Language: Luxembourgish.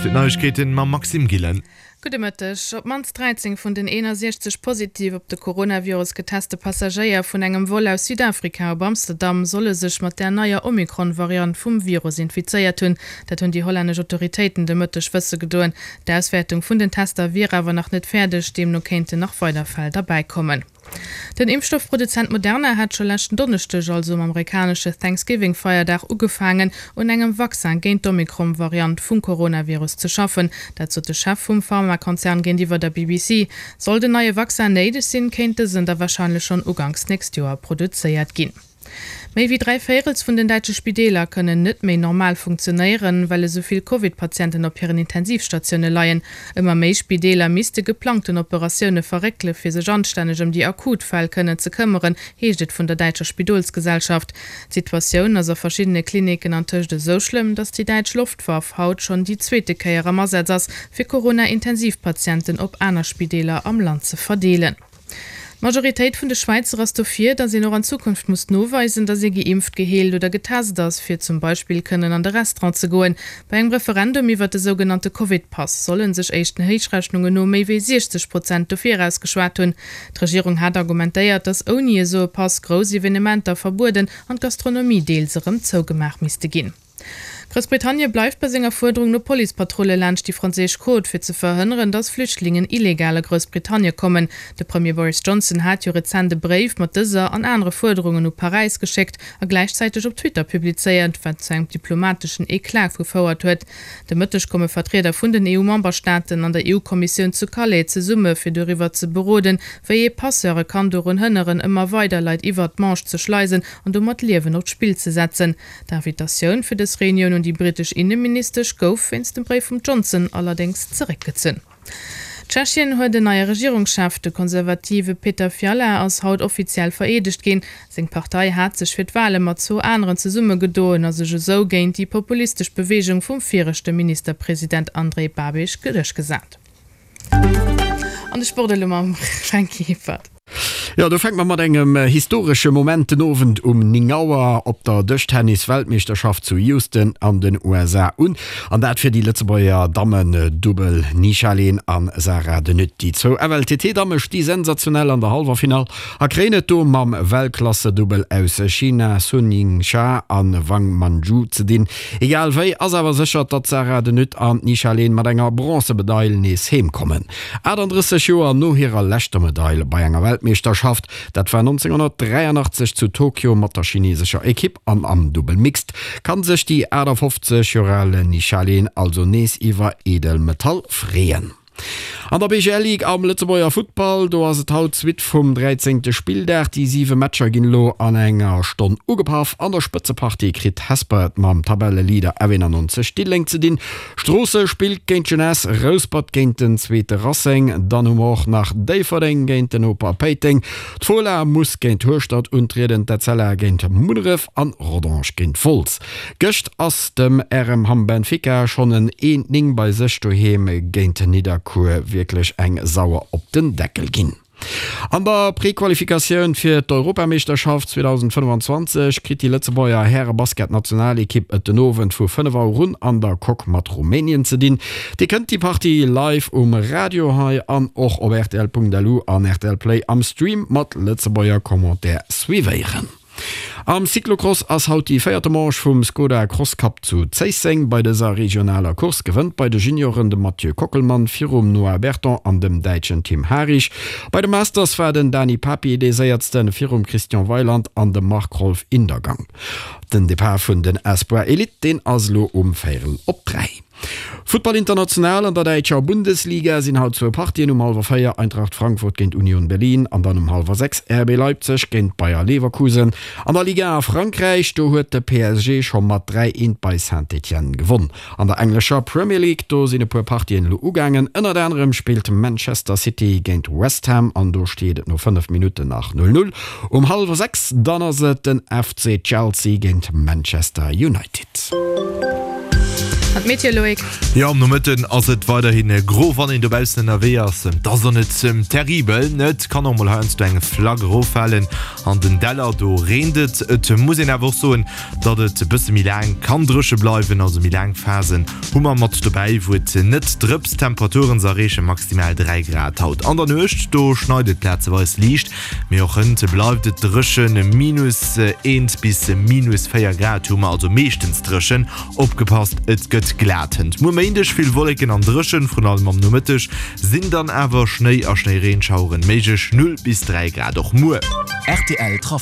fir d'Neiegkeeten mam Maxime Gillen. Gudde Mëtteg. Op d'mannst 13 vun den 61 positiv op de Coronavirus geteste Passagéier vun engem Vol aus Südafrika op Amsterdam solle sech mat där neier Omikron-Variant vum Virus infizéiert hunn. Dat hunn déi hollännesch Autoritéiten de Mëtteg wësse gedoen. D'Auswäertung vun den Tester wier awer nach net fäerdeg, deemno kéinten nach weider Fäll derbäikommen. Den Impfstoffproduzent Moderna hat scho leschten Donneschdeg, also um amerikanesche Thanksgiving-Feierdag, ugefaangen, un engem Vaccin géint d'Omikron-Variant vum Coronavirus ze schaffen. Dat sot de Chef vum Pharmakonzern géintiwwer der BBC. Sollt en neie Vaccin néideg sinn, kéint dësen da warscheinlech schonn uganks nächst Joer produzéiert ginn. Méi wéi 3 Véirels vun den däitsche Spideeler kënnen net méi normal funktionéieren, well esou vill Covid-Patienten op hiren Intensivstatioune leien. Ëmmer méi Spideeler misste geplangten Operatioune verréckele fir sech anstänneg ëm déi akut Fäll kënnen ze këmmeren, heescht et vun der däitscher Spidolsgesellschaft. D'Situatioun ass a verschiddene Klinicken antëscht esou schlëmm, datt déi däitsch Loftwaff haut schonn déi zweete Kéier am Asaz ass, fir Corona-Intensivpatienten op aner Spideeler am Land ze verdeelen. D'Majoritéit vun de Schwäizer ass dofir, datt een och an Zukunft muss noweisen, datt ee geimpft, geheelt oder getest ass, fir zum Beispill kënnen an de Restaurant ze goen. Bei engem Referendum iwwert de sougenannte Covid-Pass solle sech éischten Héichrechnungen no méi wéi 60 Prozent dofir ausgeschwat hunn. D'Regierung hat argumentéiert, datt ouni esou e Pass grouss Evenementer verbueden an d'Gastronomie deels erëm zougemaach misste ginn. Groussbritannie bleift bei senger Fuerderung no Policepatrulle laanscht déi franséisch Côte, fir ze verhënneren, datt Flüchtlingen illegal a Groussbritannie kommen. De Premier Boris Johnson hat jo rezent e Bréif mat dëser an anere Fuerderungen u Paräis geschéckt a gläichzäiteg op Twitter publizéiert, wat zu engem diplomateschen Eclat gefouert huet. De Mëtteg komme Vertrieder vun den EU-Memberstaaten an der EU-Kommissioun zu Calais zesumme fir doriwwer ze beroden, wéi ee Passeure kann dorun hënneren, ëmmer weider Leit iwwert d'Manche ze schleisen an domat Liewen op d'Spill ze setzen. D'Invitatioun fir dës Reunioun un déi britesch Inneministesch gouf wéinst dem Bréif vum Johnson allerdéngs zeréckgezunn. Tschechien huet en neie Regierungschef. De konservative Petr Fiala ass haut offiziell vereedegt ginn. Seng Partei hat sech fir d'Wale mat zwou aneren zesummegedoen a sech esou géint déi populistesch Beweegung vum viregte Ministerpresident Andrej Babiš duerchgesat. An de Sport elo mam Franky Hippert. Jo, do fänke mer mat engem historesche Moment den Owend um 9 Auer op der Dëschtennis-Weltmeeschterschaft zu Houston an den USA un. An dat fir déi Lëtzebuerger Dammen-Dubbel Nisha Leen an Sarah De Nutte. Déi zwou FLTT-Damme sti sensationell an der Hallwerfinall a kréien et do mam Weltklasse-Dubbel aus China Sun Yingsha an Wang Manju ze dinn. Egal wéi ass awer sécher, datt d'Sarah De Nutte an d'Nisha Leen mat enger Bronzemedail nees heem kommen. 38 Joer no hirer leschter Medail bei enger Weltmeeschterschaft, dat war 1983 zu Tokio mat der chinesescher Ekipp an am Dubbel Mixed, kann sech déi 58 Joer al Nisha Leen also nees iwwer Edelmetall freeën. An der BGL Ligue am Lëtzebuerger Futtball, do ass et haut d'Suite vum dräizéngte Spilldag. Déi siwe Matcher ginn elo an enger Stonn ugepaff. An der Spëtzepartie kritt Hesper et mam Tabelleleader F91 Diddeleng ze dinn. Stroosse spillt géint d'Jeunesse, Rouspert géint den zweete Racing. Dann hu mer och nach Déifferdeng géint den Noper Péiteng. D'Fola muss géint Hueschtert untrieden, d'Etzella géint Munneref an Rodange géint Wolz. Gëscht ass dem RM Hamm Benfica schonn en 1, 9 bei sech doheem géint Nidderkuer wierklech eng sauer op den Deckel ginn. An der Prequalifikatioun fir d'Europameeschterschaft 2025 kritt déi Lëtzebuerger Härebasketnationalekipp et den Owend vu 5 Auer un an der Coque mat Rumänien ze dinn. Dir kënnt déi Partie live um Radio hei an och op rtl.lu an rtl Play am Stream mat Lëtzebuerger Commentaire suivéieren. Am Cyclocross ass haut déi véierte Manche vum Skoda Cross Cup zu Zéisseng. Bei dëser regionaler Course gewënnt bei de Junioren de Mathieu Kockelmann virum Noah Berton an dem Däitschen Tim Harich. Bei de Masters war den Dani Papi dee séiertsten virum Christian Weyland an dem Marc-Rolf Indergang. Den Depart vun den Espoir Elite, deen ass elo um véierel op 3. Futtball international, An der däitscher Bundesliga sinn haut zwou Partien, um hallwer 4 Eintracht Frankfurt géint Union Berlin an dann um hallwer 6 RB Leipzig géint Bayer Leverkusen. An der Ligue 1 a Frankräich, do huet de PSG scho mat 3, 1 bei Saint-Étienne gewonn. An der englescher Premier League, do sinn e puer Partien elo ugaangen. Ënnert anerem spillt Manchester City géint West Ham an do steet et no 5 Minutten nach 0, 0. Um hallwer 6 dann ass et den FC Chelsea géint Manchester United. An d'Meteo, Loïc? Jo, am Nomëtten ass et weiderhi gro, wann een dobaussen ënnerwee ass. Et ass och net terribel, et kann och mol heiansdo eng Flack eroffalen. An den Däller, do reent et. Et muss een awer och soen, datt et e bësse méi laang kann dréche bleiwen, also méi laang Phasen hu mer mat dobäi, wou et net drëpst. D'Temperaturen, se erreeche maximal 3 Grad haut an der Nuecht, do schneit et plazeweis liicht. Mee och hënt bleift et dréchen, minus 1 bis minus 4 Grad hu mer, also meeschtens dréchen. Opgepasst, et gëtt glat hënt. Muer Méindeg vill Wolleken an dréchen, vrun allem am Nomëtteg sinn dann awer Schnéi a Schnéireenschaueren méiglech, 0 bis 3 Grad och muer. Rtl Trafic.